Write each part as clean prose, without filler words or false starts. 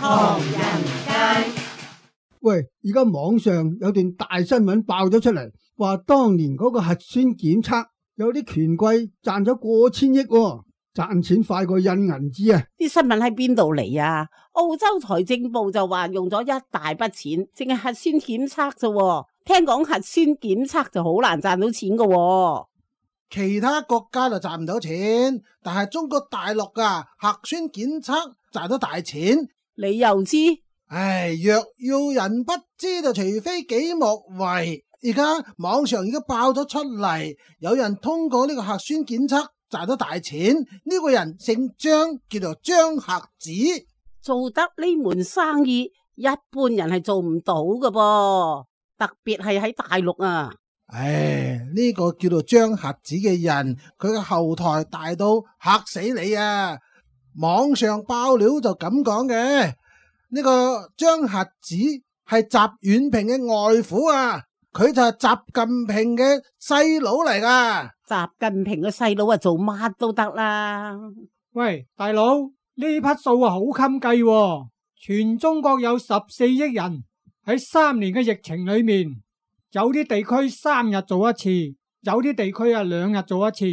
唐人街。喂，而家網上有段大新聞爆咗出嚟，話當年嗰個核酸檢測有啲權貴賺咗過千億喎，賺錢快過印銀紙啊！啲新聞喺邊度嚟啊？澳洲財政部就話用咗一大筆錢，淨係核酸檢測啫。聽講核酸檢測就好難賺到錢噶喎。其他國家就賺唔到錢，但係中國大陸噶核酸檢測賺到大錢。你又知？唉，若要人不知就除非己莫為。而家網上已經爆咗出嚟，有人通過呢個核酸檢測賺到大錢。呢個人姓張，叫做張瞎子。做得呢門生意，一般人係做唔到噶噃，特別係喺大陸啊。唉，呢個叫做張瞎子嘅人，佢嘅後台大到嚇死你啊！網上爆料就咁講嘅，呢個張瞎子係習遠平嘅外父啊，佢就係習近平嘅細佬嚟噶。習近平嘅細佬啊，做乜都得啦。喂，大佬，呢筆數啊好襟計喎，全中國有14億人，喺3年嘅疫情裏面，有啲地區3日做一次，有啲地區啊2日做一次，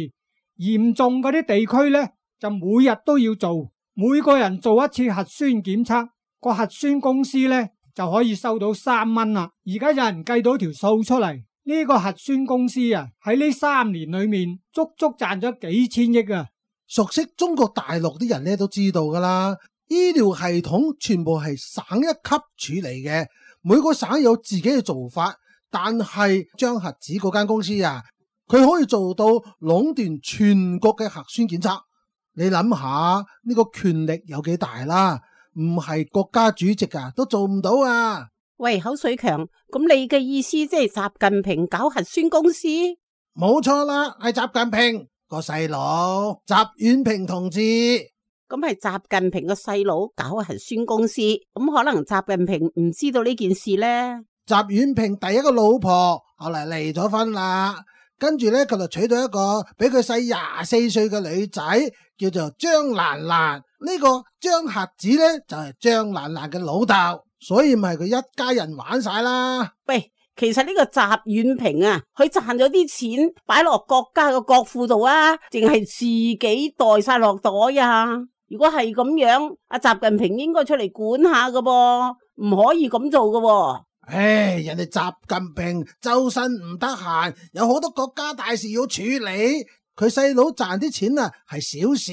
嚴重嗰啲地區呢，就每日都要做，每個人做一次核酸檢測，個核酸公司呢就可以收到3蚊啦。而家有人計到條數出嚟，呢個核酸公司啊喺呢3年裏面足足賺咗幾千億啊！熟悉中國大陸啲人咧都知道噶啦，醫療系統全部係省一級處理嘅，每個省有自己嘅做法。但係張瞎子嗰間公司啊，佢可以做到壟斷全國嘅核酸檢測。你諗下呢個權力有幾大啦？唔係國家主席啊都做唔到啊！喂，口水強，咁你嘅意思即係習近平搞核酸公司？冇錯啦，係習近平個細佬習遠平同志。咁係習近平個細佬搞核酸公司，咁可能習近平唔知道呢件事呢？習遠平第一個老婆後嚟離咗婚啦，跟住咧佢就娶到一個比佢細24歲嘅女仔，叫做張蘭蘭。呢個張瞎子咧就係張蘭蘭嘅老豆，所以咪佢一家人玩晒啦。喂，其實呢個習遠平啊，佢賺咗啲錢擺落國家嘅國庫度啊，淨係自己袋晒落袋啊？如果係咁樣，阿習近平應該出嚟管下噶噃，唔可以咁做噶喎。唉，人哋習近平周身唔得閒，有好多國家大事要處理，佢細佬賺啲錢啊係小事，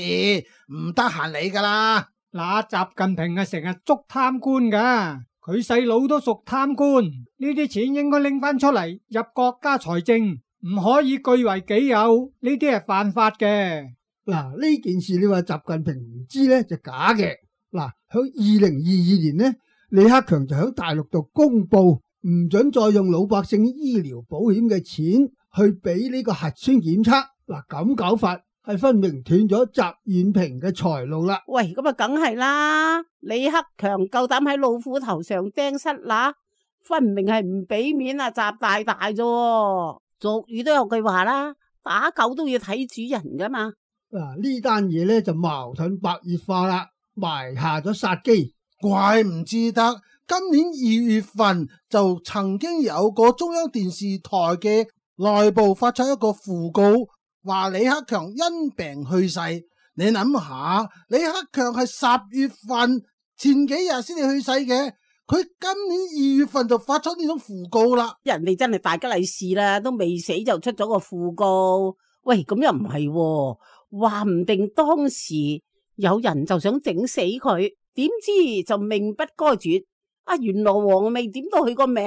唔得閒理噶啦。嗱，習近平啊成日捉貪官噶，佢細佬都屬貪官，呢啲錢應該拎翻出嚟入國家財政，唔可以據為己有，呢啲係犯法嘅。嗱，呢件事你話習近平唔知呢就假嘅。嗱，喺2022年呢，李克強就喺大陸度公布唔准再用老百姓醫療保險嘅錢去俾呢個核酸檢測。嗱，咁搞法係分明斷咗習遠平嘅財路啦。喂，咁啊梗係啦，李克強夠膽喺老虎頭上釘虱乸，分明係唔俾面啊習大大啫。俗語都有句話啦，打狗都要睇主人噶嘛。嗱，呢單嘢咧就矛盾白熱化啦，埋下咗殺機。怪唔知得，今年2月份就曾經有個中央電視台嘅內部發出一個訃告，話李克強因病去世。你諗下，李克強係10月份前幾日先至去世嘅，佢今年2月份就發出呢種訃告啦。人哋真係大吉利是啦，都未死就出咗個訃告。喂，咁又唔係喎，話唔定當時有人就想整死佢，點知就命不該絕。阿閻羅王未點到佢個名，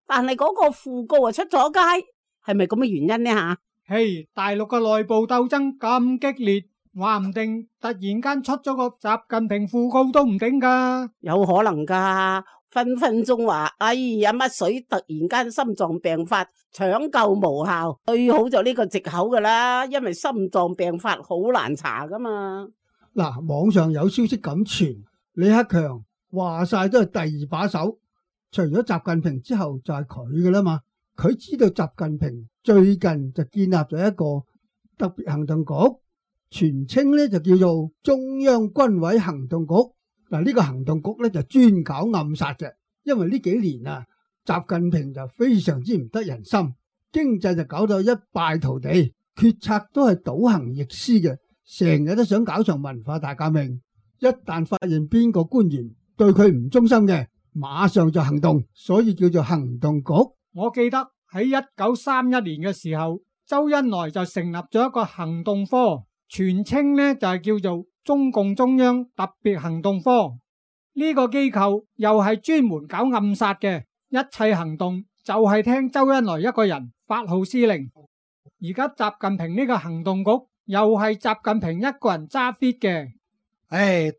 但係嗰個訃告啊出咗街，係咪咁嘅原因呢吓？嘿，大陸嘅內部鬥爭咁激烈，話唔定突然間出咗個習近平訃告都唔定噶，有可能噶，分分鐘話哎呀乜水突然間心臟病發搶救無效，最好就呢個藉口噶啦，因為心臟病發好難查噶嘛。嗱，網上有消息咁傳，李克強話晒都係第2把手，除咗習近平之後就係佢噶啦嘛。佢知道習近平最近就建立咗一個特別行動局，全稱咧就叫做中央軍委行動局。嗱，呢個行動局咧就專搞暗殺嘅，因為呢幾年啊，習近平就非常之唔得人心，經濟就搞到一敗塗地，決策都係倒行逆施嘅，成日都想搞場文化大革命。一旦發現邊個官員對佢唔忠心嘅，馬上就行動，所以叫做行動局。我記得喺1931年嘅時候，周恩來就成立咗一個行動科，全稱呢就係叫做中共中央特別行動科。呢個機構又係專門搞暗殺嘅，一切行動就係聽周恩來一個人發號施令。而家習近平呢個行動局又係習近平一個人揸 fit 嘅。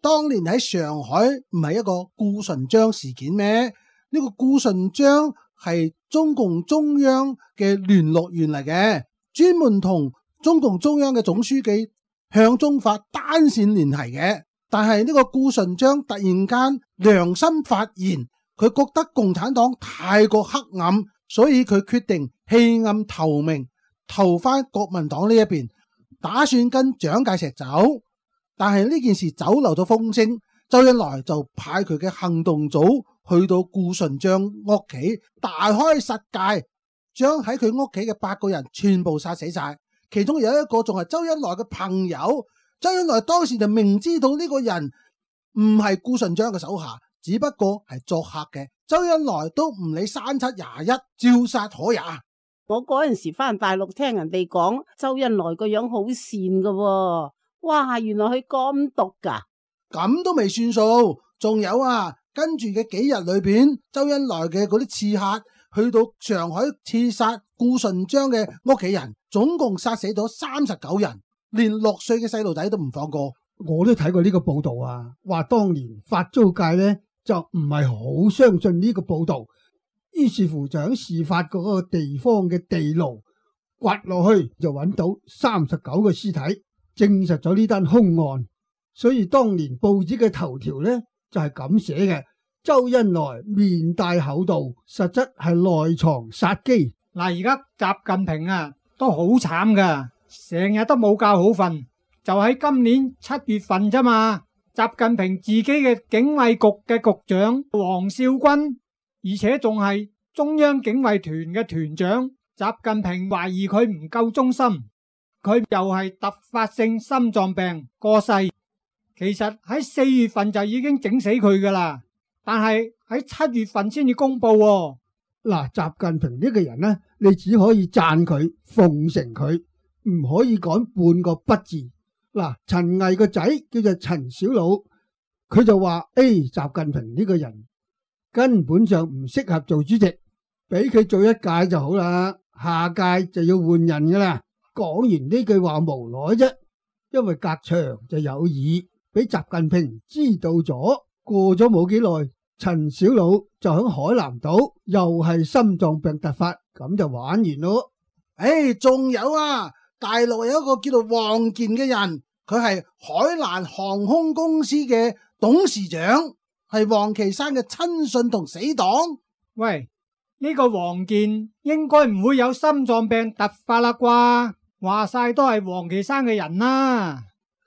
當年喺上海唔係一個顧順章事件咩？呢個顧順章係中共中央嘅聯絡員嚟嘅，專門同中共中央嘅總書記向忠發單線聯繫嘅。但係呢個顧順章突然間良心發現，佢覺得共產黨太過黑暗，所以佢決定棄暗投明，投翻國民黨呢一邊，打算跟蔣介石走。但係呢件事走漏咗風聲，周恩來就派佢嘅行動組去到顧順章屋企，大開殺戒，將喺佢屋企嘅8個人全部殺死晒，其中有一個仲係周恩來嘅朋友。周恩來當時就明知道呢個人唔係顧順章嘅手下，只不過係作客嘅，周恩來都唔理3721，照殺可也。我嗰陣時翻大陸聽人哋講，周恩來個樣好善噶喎。哇，原來佢咁毒噶，咁都未算數，仲有啊，跟住嘅幾日裏邊，周恩來嘅嗰啲刺客去到上海刺殺顧順章嘅屋企人，總共殺死咗39人，連6歲嘅細路仔都唔放過。我都睇過呢個報道啊，話當年法租界呢就唔係好相信呢個報道，於是乎就喺事發嗰個地方嘅地牢掘落去，就揾到39個屍體。證實咗呢單兇案，所以當年報紙嘅頭條呢就係咁寫嘅：周恩來面帶厚道，實質係內藏殺機。嗱，而家習近平啊都好慘噶，成日都冇覺好瞓。就喺今年7月份啫嘛，習近平自己嘅警衛局嘅局長王少軍，而且仲係中央警衛團嘅團長，習近平懷疑佢唔夠忠心。佢又係突發性心臟病過世，其實喺4月份就已經整死佢噶啦，但係喺7月份先至公布喎。嗱，習近平呢個人呢，你只可以讚佢、奉承佢，唔可以講半個不字。嗱，陳毅個仔叫做陳小魯，佢就話：習近平呢個人根本上唔適合做主席，俾佢做一屆就好啦，下屆就要換人噶啦。講完呢句話無奈啫，因為隔牆就有耳，俾習近平知道咗。過咗冇幾耐，陳小魯就喺海南島又係心臟病突發，咁就玩完咯。仲有啊，大陸有一個叫做王健嘅人，佢係海南航空公司嘅董事長，係王岐山嘅親信同死黨。喂，呢個王健應該唔會有心臟病突發啦啩？話晒都係王岐山嘅人啦。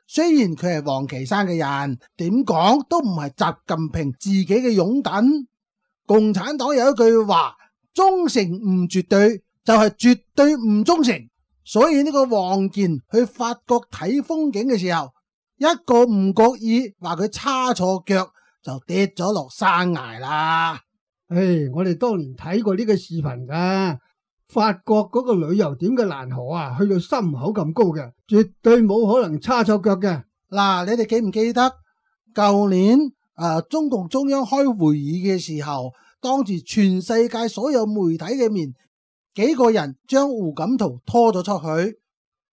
雖然佢係王岐山嘅人，點講都唔係習近平自己嘅擁躉。共產黨有一句話：忠誠唔絕對，就係絕對唔忠誠。所以呢個王健去法國睇風景嘅時候，一個唔覺意話佢叉錯腳，就跌咗落山崖啦。我哋當年睇過呢個視頻噶。法國嗰個旅遊點嘅蘭河啊，去到心口咁高嘅，絕對冇可能叉錯腳嘅。嗱，你哋記唔記得舊年中共中央開會議嘅時候，當住全世界所有媒體嘅面，幾個人將胡錦濤拖咗出去，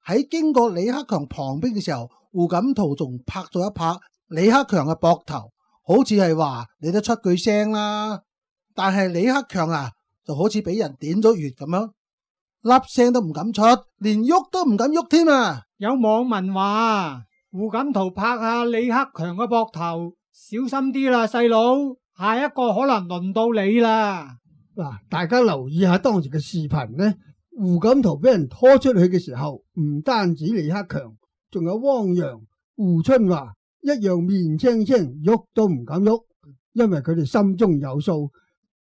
喺經過李克強旁邊嘅時候，胡錦濤仲拍咗一拍李克強嘅膊頭，好似係話你都出句聲啦。但係李克強啊，就好似俾人點咗穴咁樣，粒聲都唔敢出，連喐都唔敢喐添啊！有網民話胡錦濤拍下李克強嘅膊頭，小心啲啦，細佬，下一個可能輪到你啦。嗱，大家留意下當時嘅視頻呢，胡錦濤俾人拖出去嘅時候，唔單止李克強，仲有汪洋、胡春華一樣面青青，喐都唔敢喐，因為佢哋心中有數，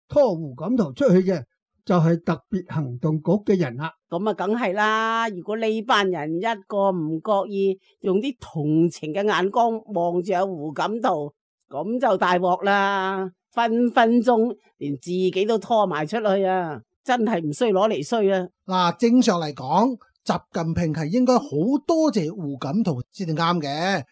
拖胡錦濤出去嘅就係特別行動局嘅人啦。咁啊，梗係啦！如果呢班人一個唔覺意用啲同情嘅眼光望住阿胡錦濤，咁就大鑊啦！分分鐘連自己都拖埋出去啊！真係唔衰攞嚟衰啊！嗱，正常嚟講，習近平係應該好多謝胡錦濤先至啱嘅，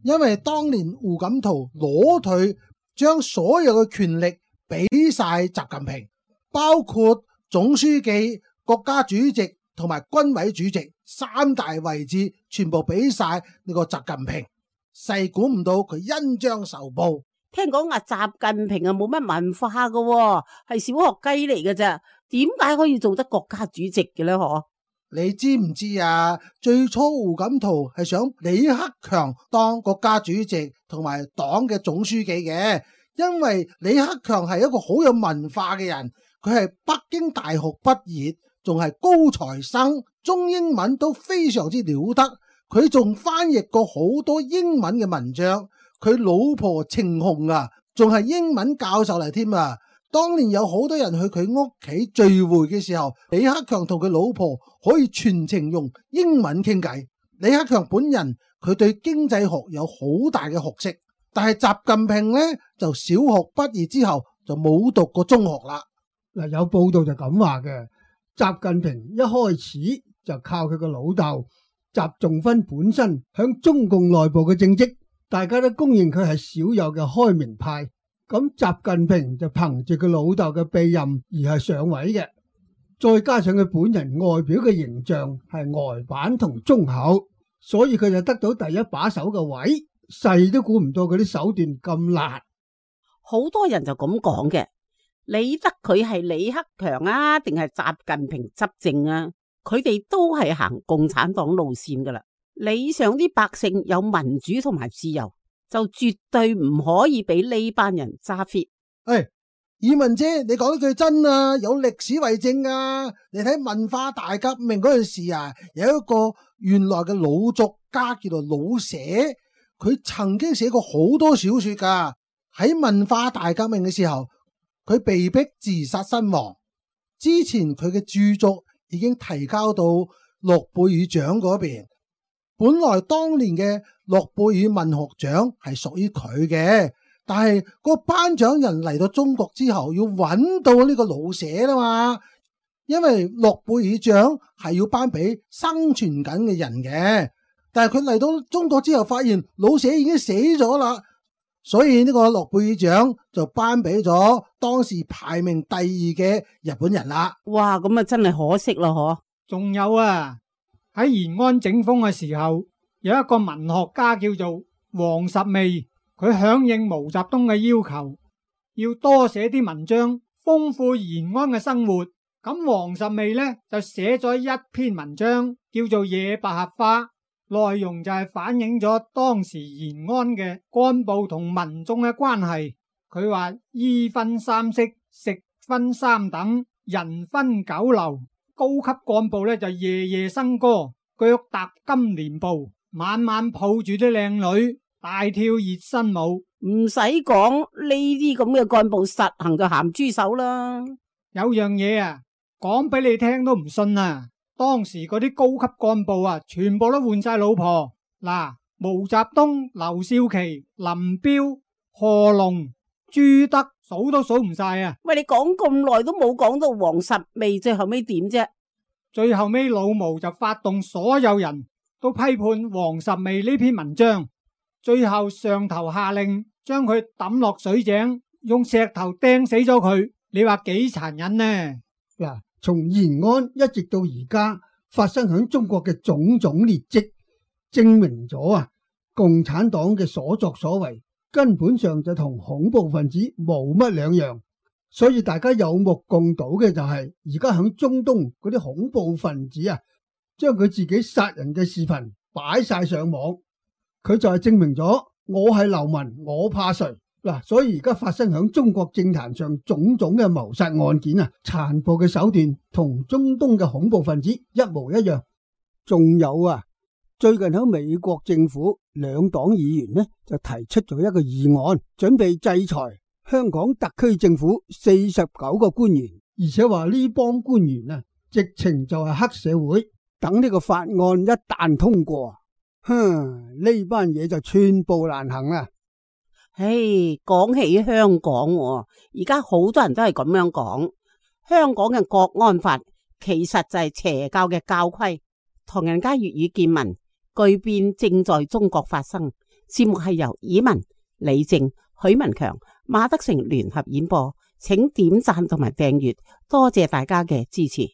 因為當年胡錦濤裸退，將所有嘅權力俾晒習近平，包括總書記、國家主席同埋軍委主席三大位置，全部俾晒呢個習近平。細估唔到佢恩將仇報。聽講阿習近平啊冇乜文化噶，係小學雞嚟嘅咋？點解可以做得國家主席嘅呢？嗬？你知唔知啊？最初胡錦濤係想李克強當國家主席同埋黨嘅總書記嘅，因為李克強係一個好有文化嘅人，佢係北京大學畢業，仲係高材生，中英文都非常之了得。佢仲翻譯過好多英文嘅文章，佢老婆程紅啊，仲係英文教授嚟添啊！當年有好多人去佢屋企聚會嘅時候，李克強同佢老婆可以全程用英文傾偈。李克強本人佢對經濟學有好大嘅學識，但係習近平呢就小學畢業之後就冇讀過中學啦。嗱，有報道就咁話嘅，習近平一開始就靠佢個老豆習仲勳本身響中共內部嘅政績，大家都公認佢係少有嘅開明派。咁習近平就憑住佢老豆嘅庇蔭而係上位嘅，再加上佢本人外表嘅形象係呆板同忠厚，所以佢就得到第一把手嘅位，細都估唔到佢啲手段咁辣。好多人就咁講嘅，理得佢係李克強啊，定係習近平執政啊？佢哋都係行共產黨路線噶啦，理想啲百姓有民主同埋自由，就絕對唔可以俾呢班人揸 fit。以文姐，你講得句真啊，有歷史為證啊！你睇文化大革命嗰陣時啊，有一個原來嘅老作家叫做老舍，佢曾經寫過好多小說噶。喺文化大革命嘅時候，佢被逼自殺身亡。之前佢嘅著作已經提交到諾貝爾獎嗰邊。本來當年嘅諾貝爾文學獎係屬於佢嘅，但係個頒獎人嚟到中國之後要揾到呢個老舍啦嘛，因為諾貝爾獎係要頒俾生存緊嘅人嘅，但係佢嚟到中國之後發現老舍已經死咗啦，所以呢個諾貝爾獎就頒俾咗當時排名第二嘅日本人啦。哇，咁啊真係可惜啦，嗬！仲有啊，喺延安整風嘅時候，有一個文學家叫做王十味，佢響應毛澤東嘅要求，要多寫啲文章，豐富延安嘅生活。咁王十味呢就寫咗一篇文章，叫做《野百合花》，內容就係反映咗當時延安嘅幹部同民眾嘅關係。佢話衣分三色，食分三等，人分九流。高級幹部呢就夜夜笙歌，腳踏金蓮步，晚晚抱住啲靚女，大跳熱身舞。唔使講，呢啲咁嘅幹部實行就鹹豬手啦。有樣嘢啊，講俾你聽都唔信啊！當時嗰啲高級幹部啊，全部都換晒老婆。嗱，毛澤東、劉少奇、林彪、賀龍、朱德，數都數唔晒啊！喂，你講咁耐都冇講到王十味，最後尾點啫？最後尾老毛就發動所有人都批判王十味呢篇文章，最後上頭下令將佢抌落水井，用石頭掟死咗佢。你話幾殘忍呢？嗱，從延安一直到而家發生響中國嘅種種劣跡，證明咗啊，共產黨嘅所作所為根本上就同恐怖分子冇乜兩樣。所以大家有目共睹嘅就係而家響中東嗰啲恐怖分子啊，將佢自己殺人嘅視頻擺晒上網，佢就係證明咗我係流民，我怕誰嗱。所以而家發生響中國政壇上種種嘅謀殺案件啊，殘暴嘅手段同中東嘅恐怖分子一模一樣。仲有啊，最近喺美國政府兩黨議員呢就提出咗一個議案，準備制裁香港特區政府49個官員，而且話呢幫官員啊，直情就係黑社會。等呢個法案一旦通過，呢班嘢就寸步難行啦。講起香港，而家好多人都係咁樣講，香港嘅國安法其實就係邪教嘅教規。唐人街粵語見聞巨變正在中國發生。節目係由以文、李靜、許文強、馬德成聯合演播，請點讚同埋訂閱，多謝大家嘅支持。